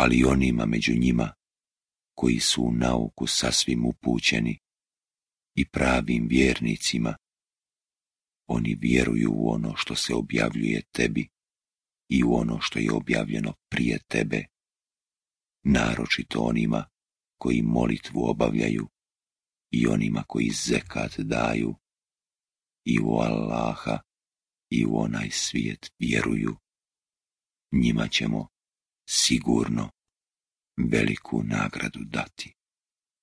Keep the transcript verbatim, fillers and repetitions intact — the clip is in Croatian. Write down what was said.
ali onima među njima koji su u nauku sasvim upućeni i pravim vjernicima, oni vjeruju u ono što se objavljuje tebi i u ono što je objavljeno prije tebe, naročito onima koji molitvu obavljaju i onima koji zekat daju i u Allaha i u onaj svijet vjeruju. Njima ćemo sigurno veliku nagradu dati.